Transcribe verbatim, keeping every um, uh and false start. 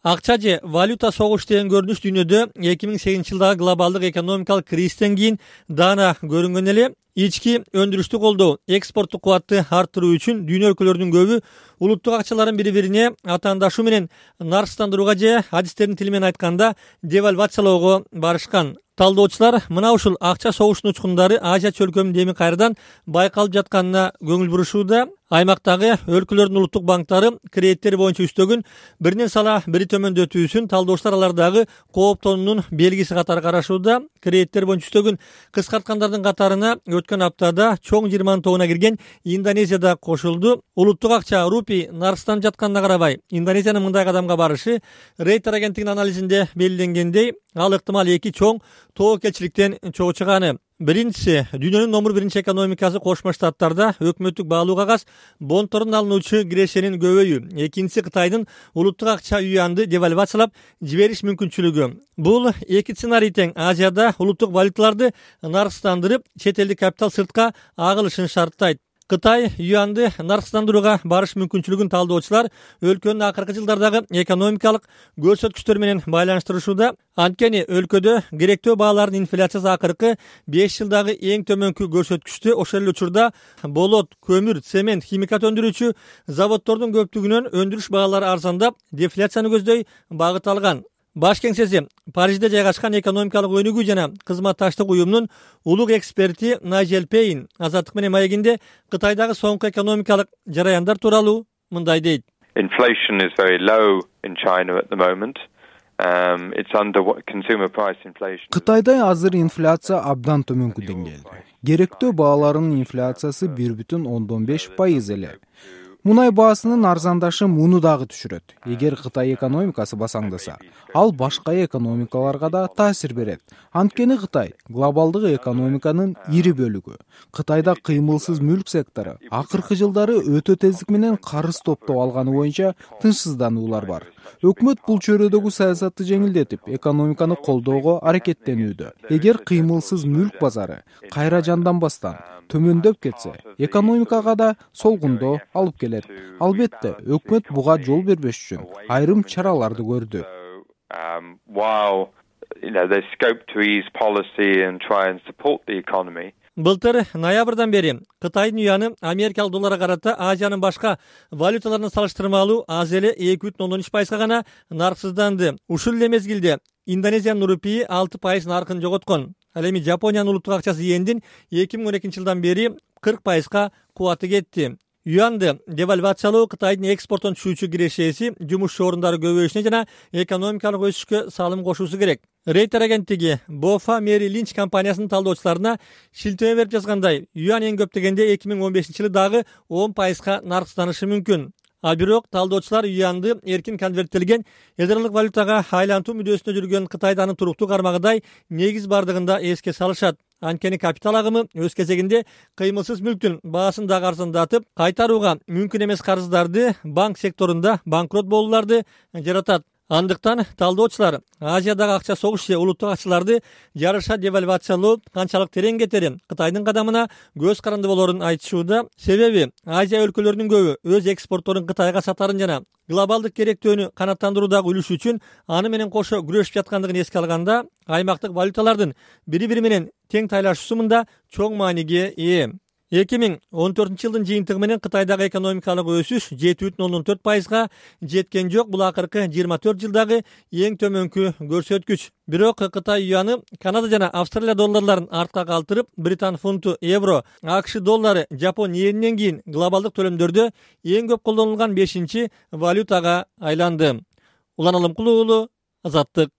Акча же валюта согуш деген көрүнүш дүйнөдө эки миң сегизинчи жылдагы глобалдык экономикалык кризистен кийин даана көрүнгөн эле. Ички өндүрүштү колдоо, экспорттук кубатты арттыруу үчүн дүйнө өлкөлөрүнүн көбү улуттук акчаларын бири-бирине атаандашуу менен нарксыздандырууга же адистердин тили менен айтканда девальвациялоого барышкан. Талдоочулар мына ушул акча согушунун учкундары Азия чөлкөмүндө эми кайрадан байкалып жатканына көңүл бурушууда. Аймактагы өлкөлөрдүн улуттук банктары кредиттери боюнча үстөгүн биринен сала бири төмөндөтүүсүн талдоочулар алардагы кооптонуунун белгиси катары карашууда. Кредиттер боюнча үстөгүн кыскарткандардын катарына өткөн аптада чоң жыйырманын тобуна кирген Индонезия да кошулду. Улуттук акча рупий нарксызданып жатканына карабай, Индонезиянын мындай кадамга барышы Рейтер агенттигинин анализинде белгиленгендей, ал ыктымал эки чоң тобокелчиликтен чогуу чыганы. Биринчиси, дүйнөнүн номер биринчи экономикасы Кошмо Штаттарда өкмөттүк баалуу кагаз бонторун алынуучу кирешенин көбөйүү. Экинчиси, Кытайдын улуттук акча юанды девальвациялап жибериш мүмкүнчүлүгү. Бул эки сценарий тең Азияда улуттук валюталарды нарксыздандырып, чет элдик капитал сыртка агылышын шарттайт. Кытай юанды нарксыздандырууга барыш мүмкүнчүлүгүн талдоочулар өлкөнүн акыркы жылдардагы экономикалык көрсөткүчтөрү менен байланыштырышууда. Анткени өлкөдө керектөө баалардын инфляциясы акыркы беш жылдагы эң төмөнкү көрсөткүчтү. Ошол эле учурда болот, көмүр, цемент, химикат өндүрүүчү заводдордун көптүгүнөн өндүрүш баалары арзандап, дефляцияны көздөй багыт алган. Баш кеңсеси Парижде жайгашкан экономикалык өнүгүү жана кызматташтык уюмунун улук эксперти Найджел Пейн Азаттык менен маегинде Кытайдагы соңку экономикалык жараяндар тууралуу мындай дейт. Inflation is very low in China at the moment. Um, it's under consumer price inflation. Кытайда азыр инфляция абдан төмөнкү деңгээлде. Керектөө бааларынын инфляциясы бир бүтүн ондон беш пайыз эле. Мунай баасынын арзандашы муну дагы түшүрөт. Эгер Кытай экономикасы басаңдаса, ал башка экономикаларга да таасир берет. Анткени Кытай глобалдык экономиканын ири бөлүгү. Кытайда кыймылсыз мүлк сектору акыркы жылдары өтө тездик менен карыз топтоп алганы боюнча тынчсыздануулар бар. Өкмөт бул чөйрөдөгү саясатты жеңилдетип, экономиканы колдоого аракеттенүүдө. Эгер кыймылсыз мүлк базары кайра жанданбастан төмөндөп кетсе, экономикага да солгундоо алып келет. Албетте, өкмөт буга жол бербеш үчүн айрым чараларды көрдү. Былтыр ноябрдан бери Кытайдын юаны америкалык долларга карата Азиянын башка валюталарына салыштырмалуу аз эле эки бүтүн ондон үч пайызга гана нарксызданды. Ушул эле мезгилде Индонезиянын рупии алты пайыз наркын жоготкон. Ал эми Жапониянын улуттук акчасы йендин эки миң он экинчи жылдан бери кырк пайызга кубаты кетти. Юанды девальвациялоо Кытайдын экспорттон түшүүчү кирешеси, жумуш орундары көбөйүшүнө жана экономикалык өсүшкө салым кошуусу керек. Рейтер агенттиги Бофа Мэри Линч компаниясынын талдоочуларына шилтеме берип жазгандай, юан эң көп дегенде эки миң он бешинчи жылы дагы он пайызга нарксызданышы мүмкүн. А бирок талдоочулар юанды эркин конверттелген элдералык валютага айлантуу мүдөсүндө жүргөн Кытайда анын туруктуу кармагыдай негиз бардыгын да эске салышат. Анткени капитал агымы өз кезегинде кыймылсыз мүлктүн баасын дагы арзандатып, кайтарууга мүмкүн эмес карыздарды, банк секторунда банкрот болууларды жаратат. Андыктан талдоочулар Азиядагы акча согуш же улуттук акчаларды жарыша девальвациялоо канчалык терең кетери Кытайдын кадамына көз каранды болорун айтышууда. Себеби Азия өлкөлөрүнүн көбү өз экспортторун Кытайга сатарын жана глобалдык керектөөнү канааттандыруудагы үлүшү үчүн аны менен кошо күрөшүп жаткандыгын эске алганда, аймактык валюталардын бири-бири менен тең тайлашуусу мында чоң мааниге ээ. эки миң он төртүнчү жылдын жыйынтыгы менен Кытайдагы экономикалык өсүш жети бүтүн ондон төрт пайызга жеткен жок. Бул акыркы жыйырма төрт жылдагы эң төмөнкү көрсөткүч. Бирок Кытай юаны Канада жана Австралия долларларын артка калтырып, Британ фунту, евро, АКШ доллары, Жапон йенинен кийин глобалдык төлөмдөрдө эң көп колдонулган бешинчи валютага айланды. Улан Алымкулуу, Азаттык.